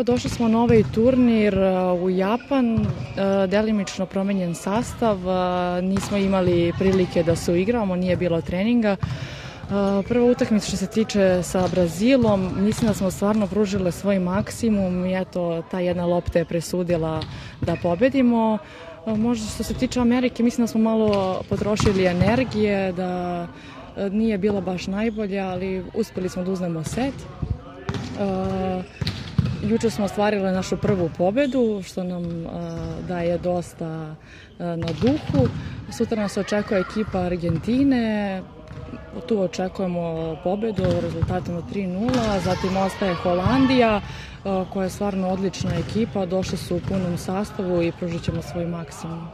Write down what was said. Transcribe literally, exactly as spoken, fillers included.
Došli smo na ovaj turnir u Japan, delimično promenjen sastav, nismo imali prilike da se uigramo, nije bilo treninga. Prva utakmica što se tiče sa Brazilom, mislim da smo stvarno pružile svoj maksimum i eto, ta jedna lopta je presudila da pobedimo. Možda što se tiče Amerike, mislim da smo malo potrošili energije, da nije bila baš najbolja, ali uspeli smo da uzmemo set. Juče smo ostvarile našu prvu pobedu, što nam daje dosta na duhu. Sutra nas očekuje ekipa Argentine, tu očekujemo pobedu rezultatom od tri nula, zatim ostaje Holandija, koja je stvarno odlična ekipa, došli su u punom sastavu i pružit ćemo svoj maksimum.